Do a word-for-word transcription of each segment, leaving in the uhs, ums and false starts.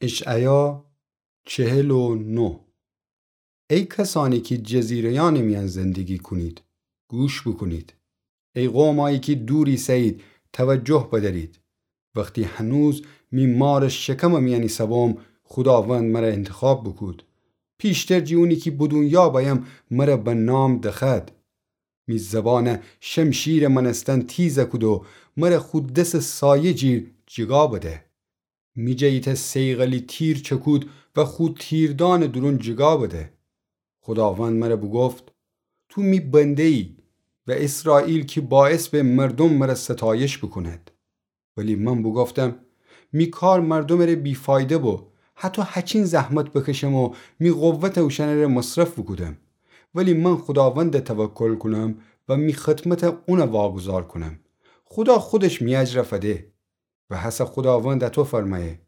اشعیا چهل و نه. ای کسانی کی جزیره‌یأنٚ میأن زندگی کونید، گوش بوکونید. ای قومأیی کی دور ایسه‌یید، توجه بدأرید. وختی هنوز می مارٚ شکمٚ میأن ایسه‌بوم، خوداوند مرَ اینتخاب بوکود. پیشتر جی اونی کی به دونیا بأیم، مرَ به نام دخوأد. می زبانَ شمشیرٚ مأنستن تیزَ کود و مرَ خو دسٚ سایه جیر جیگا بده. می جٚه ایتأ صیقلی تیر چکود و خو تیردانٚ دورون جیگا بده. خوداوند مرَ بوگفت: تو می بنده‌یی و اسرائیل کی باعث به مردوم مرَ ستایش بوکوند. ولی من بوگفتم: می کار مردومٚ ره بی‌فایده بو، هطو هچین زحمت بکشم و می قوتَ اوشأنٚ ره مصرف بوکودم. ولی من خوداوندَ توکل کونم و می خدمتَ اونَ واگذار کونم. خودا خودش می اجرَ فده. و هسه خوداوند اطو فرمأیه: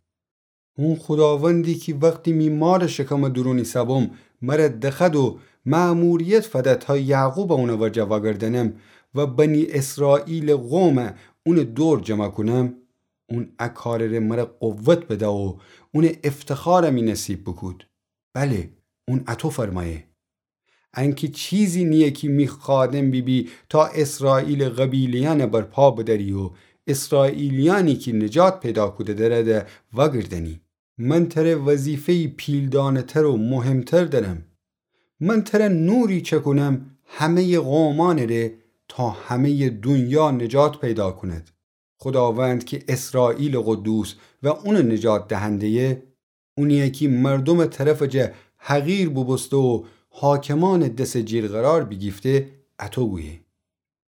اون خوداوندی کی وختی می مارٚ شکمٚ دورون ایسه‌بوم، مرَ دخوأد و مأموریت فده تا یعقوبَ اونٚ ورجه وأگردأنم و بنی اسرائیلٚ قومَ اونٚ دور جمع کونم، اون ا کارٚ ره مرَ قوت بده و اونٚ افتخارَ می نصیب بوکود. بله، اون اطو فرمأیه. انکی چیزی نییه کی می خادم بیبی تا اسرائیلٚ قبیله‌یأنَ برپا بدأری و اسرائیلیأنی کی نجات پیدا کوده درَ ده وأگردأنی. من تره وظیفه‌یی پیلدانه‌تر و مهمتر دأرم. من تره نوری چکونم همه‌یٚ قومأنٚ ره تا همه‌یٚ دونیا نجات پیدا کوند. خوداوند کی اسرائیلٚ قدوس و اونٚ نجات دهنده‌یه، اونی‌یه کی مردومٚ طرفٚ جا حقیر بوبوسته و حاکمأنٚ دسٚ جیر قرار بیگیفته، اطو گویه: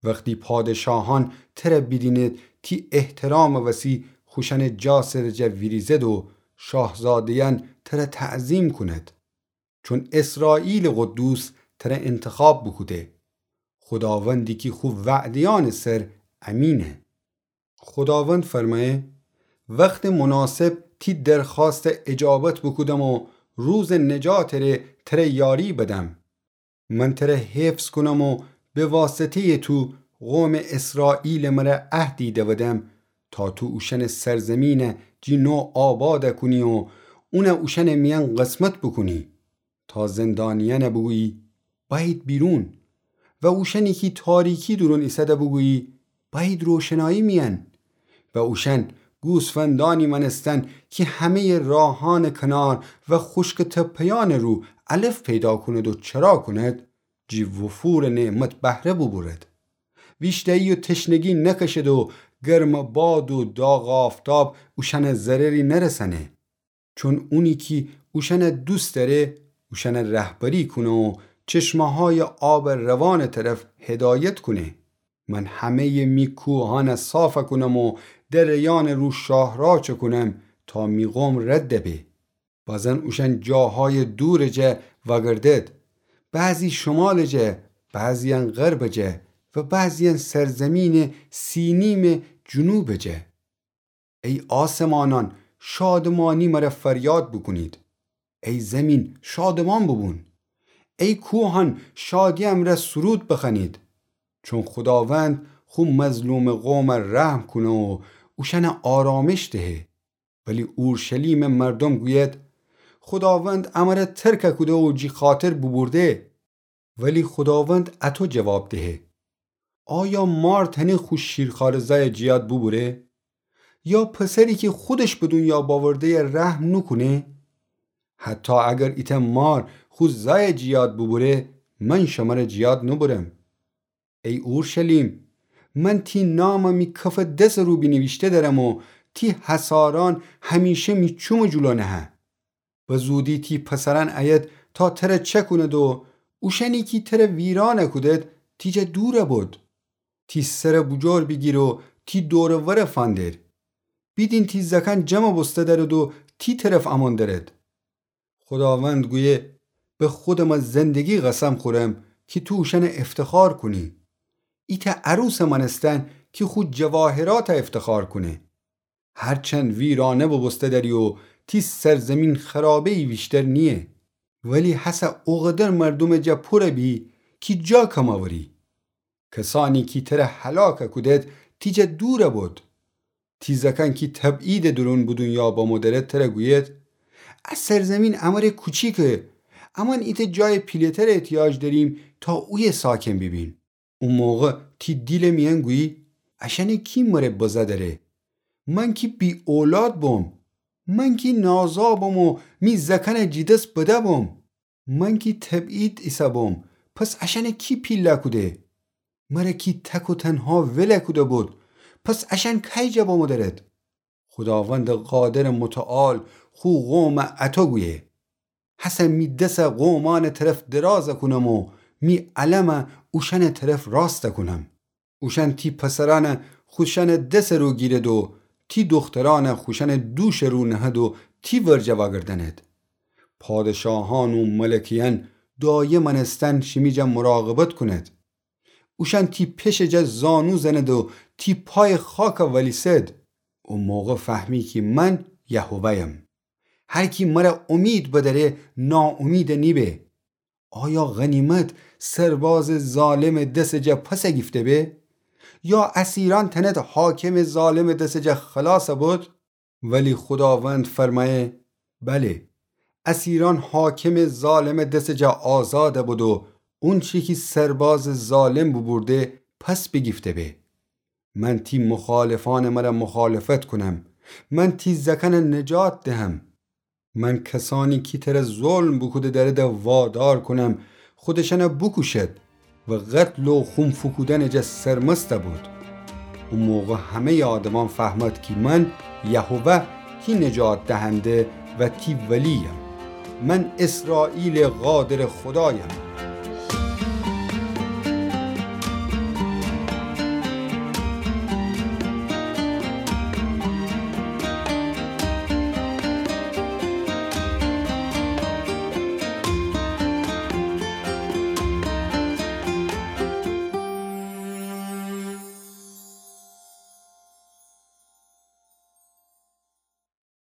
وختی پادشاهأن تره بیدینید، تی احترامٚ وسی خوشأنٚ جا سرٚ جا ویریزد و شاهزاده‌یأن تره تعظیم کونید. چون اسرائیلٚ قدوس تره انتخاب بوکوده. خوداوندی کی خو وعده‌یأنٚ سر امینه. خوداوند فرمأیه: وختٚ مناسب تی درخوأستَ اجابت بوکودم و روزٚ نجاتٚ ره تره یاری بدم. من تره حفظ کونم و به واسطه‌یٚ تو قومٚ اسرائیلٚ مره عهدی دودم تا تو اوشأنٚ سرزمینَ جی نو آباد کونی و اونَ اوشأنٚ میأن قسمت بوکونی. تا زندانیأنَ بوگویی: بأیید بیرون. و اوشأنی کی تاریکی دورون ایسده بوگویی: بأیید روشنایی میأن. و اوشأن گوسفندأنی مأنستن کی همه‌یٚ راهأنٚ کنار و خوشکٚ تپه‌یأنٚ رو علف پیدا کوند و چرا کوند، جی وفورٚ نعمت بهره بوبورد. ویشتایی و تشنگی نکشد و گرمٚ باد و داغ آفتاب اوشأنَ ضرری نرسأنه. چون اونی کی اوشأنَ دوست دأره، اوشأنَ رهبری کونه و چشمه‌هایٚ آبٚ روانٚ طرف هدایت کونه. من همه‌یٚ می کوهأنَ صاف کونم و دره‌یأنٚ رو شاهراه چکونم تا می قوم رد به. بازن اوشأن جاهایٚ دورٚ جا وأگردد. بعضی شمالٚ جا، بعضی‌یأن غربٚ جا و بعضی‌یأن سرزمینٚ سینیمٚ جنوبٚ جا. ای آسمانأن، شادمانی مره فریاد بوکونید. ای زیمین، شادمان بوبون. ای کوهأن، شادی امرأ سرود بخوأنید. چون خوداوند خو مظلومٚ قومَ رحم کونه و اوشأنَ آرامش دهه. ولی اورشلیمٚ مردوم گوید: خوداوند امره ترک کوده و جی خاطر بوبورده. ولی خوداوند اطو جواب دهه: آیا مار تأنه خو شیرخوارٚ زأیَ جیاد بوبوره؟ یا پسری کی خودش به دونیا باورده‌یَ رحم نوکونه؟ حتی اگر ایتأ مار خو زأیَ جیاد بوبوره، من شمره جیاد نوبورم. ای اورشلیم، من تی نامَ می کفٚ دسٚ رو بینیویشته دأرم و تی حصارأن همیشه می چومٚ جلو نهه. به زودی تی پسرأن ایید تا تره چکوند و اوشأنی کی تره ویران کودد تی جا دور بود. تی سرَ بوجور بیگیر و تی دور و ور فندر. بیدین تی زأکأن جمع بوسته دأرد و تی طرف امون دأرد. خوداوند گویه: به خودمٚ زندگی قسم خورم کی تو اوشأنَ افتخار کونی. ایتأ عروسٚ مأنستن کی خو جواهراتَ افتخار کونه. هرچند ویرانه بوبوسته دأری و تی سرزیمین خرابه‌یی ویشتر نییه، ولی هسه اوقدر مردومٚ جا پور بی کی جا کم اوری. کسأنی کی تره هلاک کودد تی جا دور بود. تی زأکأن کی تبعیدٚ دورون به دونیا بمو دأرد تره گوید: ا سرزمین امره کوچیکه. امأن ایتأ جایٚ پیله‌تر احتیاج دأریم تا اویه ساکن بیبیم. او موقع تی دیلٚ میأن گویی: اشأنه کی مره بزه دأره؟ من کی بی‌اولاد بوم. من کی نازا بوم و می زأکأنه جٚه دس بده بوم. من کی تبعید ایسه بوم، پس اشأنه کی پیله کوده؟ مره کی تک و تنها وله کوده بود، پس اشأن کأی جا بمو درد؟ خوداوندٚ قادرٚ متعال خو قومه اطو گویه: هسه می دسه قومأنٚ طرف درازه کونم و می علمه اوشأنٚ طرف راسته کونم. اوشأن تی پسرأنه خوشأنٚ دسٚ رو گیرد و تی دوخترأنه خوشأنٚ دوشٚ رو نهد و تی ورجه وأگردأند. پادشاهأن و ملکه‌یأن دایمٚ مأنستن شیمی جا مراقبت کونید. اوشأن تی پشٚ جا زانو زند و تی پایٚ خاکه ولیسد. او موقع فهمی کی من یهوه‌یم. هر کی مره امید بدأره، ناامید نیبه. آیا غنیمت سربازٚ ظالمٚ دسٚ جا پس گیفته به؟ یا اسیرأن تأنید حاکمٚ ظالمٚ دسٚ جا خلاص بود؟ ولی خوداوند فرمأیه: بله، اسیرأن حاکمٚ ظالمٚ دسٚ جا آزاد بود و اونچی کی سربازٚ ظالم بوبورده پس بیگیفته به. من تی مخالفأنٚ مره مخالفت کونم. من تی زأکأنه نجات دهم. من کسأنی کی تره ظلم بوکوده دأرده وادار کونم خودشأنه بوکوشد و قتل و خون فوکودنٚ جا سرمست بود. او موقع همه‌یٚ آدمأن فهمد کی من یهوه تی نجات دهنده و تی ولی‌یم. من اسرائیلٚ قادرٚ خودایم.